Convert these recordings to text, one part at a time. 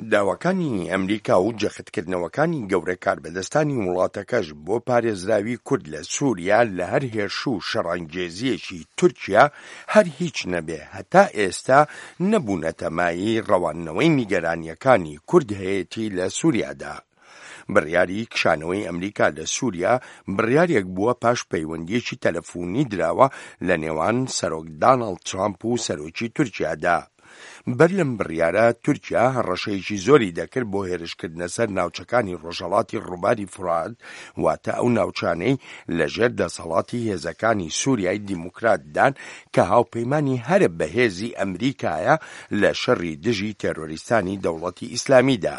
داواکانی ئەمریکا و جەختکردنەوەکانی گەورە کاربەدەستانی وڵاتەکەش بۆ پارێزراوی کورد لە سووریا لە هەر هێرش و شەڕانگێزییەکی تورکیا هەر هیچ نەبێ هەتا ئێستا نەبوونەتە مایەی ڕەواندنەوەی نیگەرانییەکانی کورد هەیەتی لە سووریادا. بڕیاری کشانەوەی ئەمریکا لە سووریا بڕیارێک بووە پاش پەیوەندییەکی تەلەفوونی دراوە لە نێوان سەرۆک داناڵد ترامپ و سەرۆکی تورکیادا. بەر لەم بڕیارە تورکیا هەڕەشەیەکی زۆری دەکرد بۆ هێرشکردنە سەر ناوچەکانی ڕۆژهەڵاتی ڕووباری فورات، واتە ئەو ناوچانەی لەژێر دەسەڵاتی هێزەکانی سوریای دیموکراتدان کە هاوپەیمانی هەرە بەهێزی ئەمریکایە لە شەڕی دژی تێرۆریستانی دەوڵەتی ئیسلامیدا.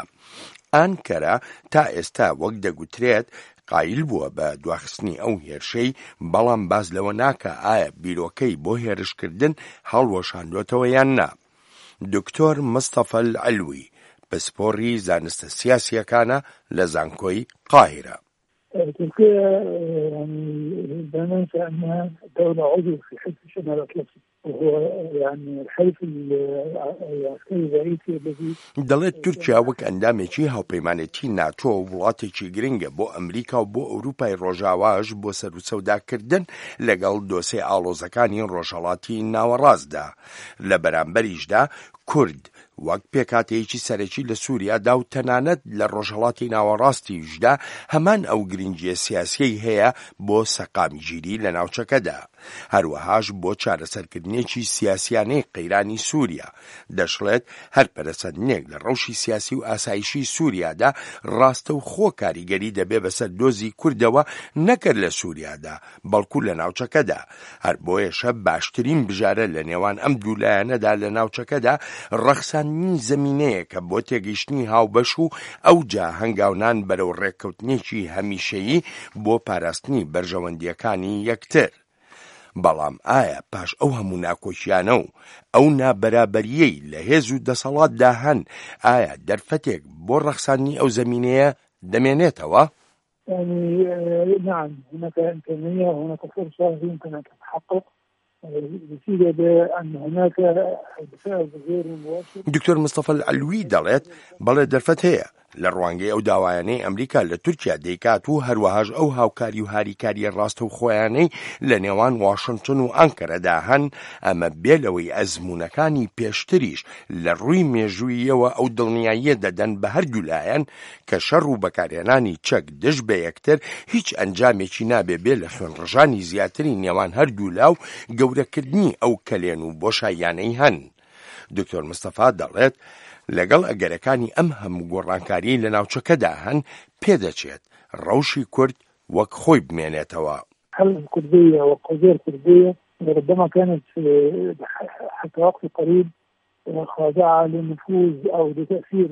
ئانکەرە تا ئێستا وەک دەگوترێت قایل بووە بە دواخستنی ئەو هێرشەی، بەڵام باس لەوە ناکا ئایا بیرۆکەی بۆ هێرشکردن هەڵوەشاندۆتەوە یان نا. دکتۆر مستەفا العلوی، پسپۆڕی زانستە سیاسییەکانە لە زانکۆی قاهیرە. ترکیا يعني لا ننسى أنها دولة عضو في حلف الشمال الأطلسي وهو يعني الحلف العسكري الرئيسي الذي دەڵێت تورکیا وەک ئەندامێکی هاوپەیمانێتی ناتۆ وڵاتێکی گرنگە بۆ ئەمریکا و بۆ ئەوروپای ڕۆژاواش بۆ سەروسەوداکردن لەگەڵ دۆسێ ئاڵۆزەکانی ڕۆژهەڵاتی ناوەڕاستدا لە بەرامبەریشدا کورد وەک پێکهاتەیەکی سەرەکی لە سووریادا و تەنانەت لە ڕۆژهەڵاتی ناوەڕاستیشدا هەمان ئەو گرنگییە سیاسییەی هەیە بۆ سەقامگیری لە ناوچەکەدا، هەروەهاش بۆ چارەسەرکردنێکی سیاسیانەی قەیرانی سووریا. دەشڵێت، هەر پەرەسەندنێک لە ڕەوشی سیاسی و ئاسایشی سووریادا ڕاستەوخۆ کاریگەری دەبێ بەسەر دۆزی کوردەوە نەک هەر لە سووریادا، بەڵکو لە ناوچەکەدا، هەر بۆیەشە باشترین بژارە لە نێوان ئەم دوو لایەنەدا لە ناوچەکەدا ڕەخساندنی زەمینەیەکە بۆ تێگەیشتنی هاوبەش و ئەوجا هەنگاونان بەرەو ڕێککەوتنێکی هەمیشەیی بۆ پاراستنی بەرژەوەندییەکانی یەکتر. بەڵام ئایا پاش ئەو هەموو ناکۆکیانە و ئەو نابەرابەرییەی لە هێز و دەسەڵاتدا هەن، ئایا دەرفەتێک بۆ ڕەخساندنی ئەو زەمینەیە دەمێنێتەوە؟ يعني نعم هناك إمكانية وهناك فرصة يمكن أن تتحقق نتيجة بأن هناك بفعل غير مباشر دکتۆر مستەفا العلوی دەڵێت، بەڵێ دەرفەت هەیە، لە ڕوانگەی ئەو داوایانەی ئەمریکا لە تورکیا دەیکات و هەروەهاش ئەو هاوکاری و هاریکارییە ڕاستەوخۆیانەی لە نێوان واشنتن و ئانکەرەدا هەن، ئەمە بێ لەوەی ئەزموونەکانی پێشتریش لە ڕووی مێژووییەوە ئەو دڵنیاییە دەدەن بە هەردوو لایەن کە شەڕ و بەکارهێنانی چەک دژ بە یەکتر هیچ ئەنجامێکی نابێ بێ لە خوێنڕژانی زیاتری نێوان هەردوولا و گەورەکردنی ئەو کەلێن و بۆشاییانەی هەن. دکتۆر مستەفا دەڵێت، لەگەڵ ئەگەرەکانی ئەم هەموو گۆڕانکاریەی لە ناوچەکەدا هەن، پێدەچێت ڕەوشی کورد وەک خۆی بمێنێتەوە. الحالة الكردية والقضية الكردية ربما كانت حتى وقت قريب خاضعة لنفوذ أو لتأثير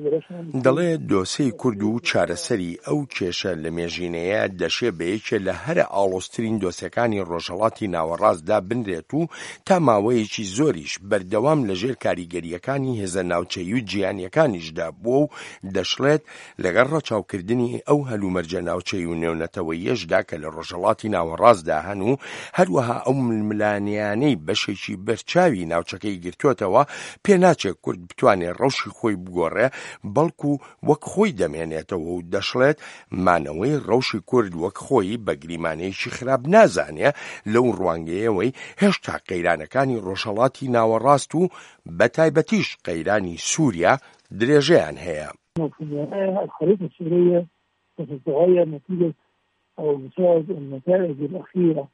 دەڵێ دۆسێی کورد و چارەسەری ئەو کێشە لەمێژینەیە دەشێ بە یەکێ لە هەرە ئاڵۆزترین دۆسێکانی ڕۆژهەڵاتی ناوەڕاست دابنرێت و تا ماوەیەکی زۆریش بەردەوام لە ژێر کاریگەرییەکانی هێزە ناوچەیی و جیهانییەکانیشدا بووە و دەشڵێت لەگەڵ ڕەچاوکردنی ئەو هەلومەرجە ناوچەیی و نێونەتەوەییەشدا کە لە ڕۆژهەڵاتی ناوەڕاستدا هەن و هەروەها ئەو ململانێیانەی بەشێکی بەرچاوی ناوچەکەی گرتۆتەوە، پێناچێ کورد بتوانێ ڕەوشی خۆی بگۆڕێ، بەڵکو وەک خۆی دەمێنێتەوە و دەشڵێت، مانەوەی ڕەوشی کورد وەک خۆی بە گریمانەیەکی خراپ نازانێ لەو ڕوانگەیەوەی هێشتا قەیرانەکانی ڕۆژهەڵاتی ناوەڕاست و بەتایبەتیش قەیرانی سووریا درێژەیان هەیە. وفي النهاية الخريطة السورية ستتغير نتيجة أو بسبب النتائج الأخيرة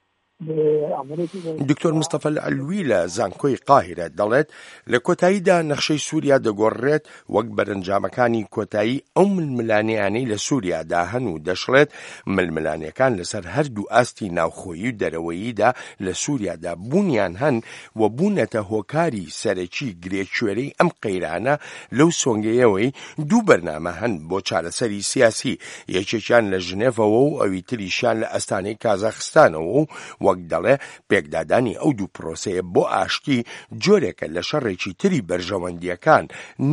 دکتۆر مستەفا العلوی لە زانکۆی قاهیرە دەڵێت، لە کۆتاییدا نەخشەی سووریا دەگۆڕرێت وەک بەرەنجامەکانی کۆتایی ئەو ململانێیانەی لە سووریادا هەن و دەشڵێت، ململانێکان لەسەر هەردوو ئاستی ناوخۆیی و دەرەوەییدا لە سووریادا بوونیان هەن و بوونەتە هۆکاری سەرەکی گرێکوێرەی ئەم قەیرانە لەو سۆنگەیەوەی دوو بەرنامە هەن بۆ چارەسەری سیاسی، یەکێکیان لە ژنێڤەوە و ئەوی تریشیان لە ئەستانەی کازاخستانەوە و وەک دەڵێ پێکدادانی ئەو دوو پرۆسەیە بۆ ئاشتی جۆرێکە لە شەڕێکی تری بەرژەوەندییەکان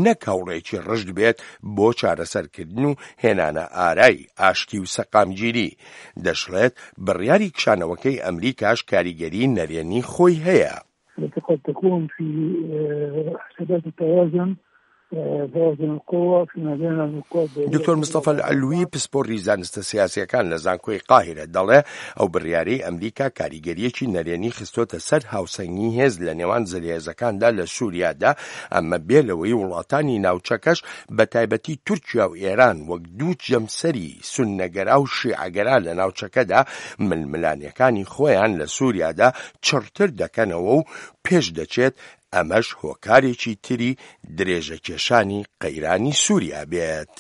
نەک هەوڵێکی ڕژد بێت بۆ چارەسەرکردن و هێنانە ئارای ئاشتی و سەقامگیری. دەشڵێت، بڕیاری کشانەوەکەی ئەمریکاش کاریگەری نەرێنی خۆی هەیە. التي قد تكون في حسابات التوازن. توازن القوة فيما بين القوى الدولية. دکتۆر مستەفا العلوی پسپۆڕی زانستە سیاسیەکان لە زانکۆی قاهیرە دەڵێ ئەو بڕیارەی ئەمریکا کاریگەریەکی نەرێنی خستۆتە سەر هاوسەنگی هێز لە نێوان زلهێزەکاندا لە سوریادا، ئەمە بێ لەوەی وڵاتانی ناوچەکەش بە تایبەتی تورکیا و ئێران وەک دوو جەمسەری سوننەگەرا و شیعەگەرا لە ناوچەکەدا ململانێکانی خۆیان لە سوریادا چڕتر دەکەنەوە و پێش دەچێت ئەمەش هۆکارێکی تری درێژەکێشانی قەیرانی سوریا بێت.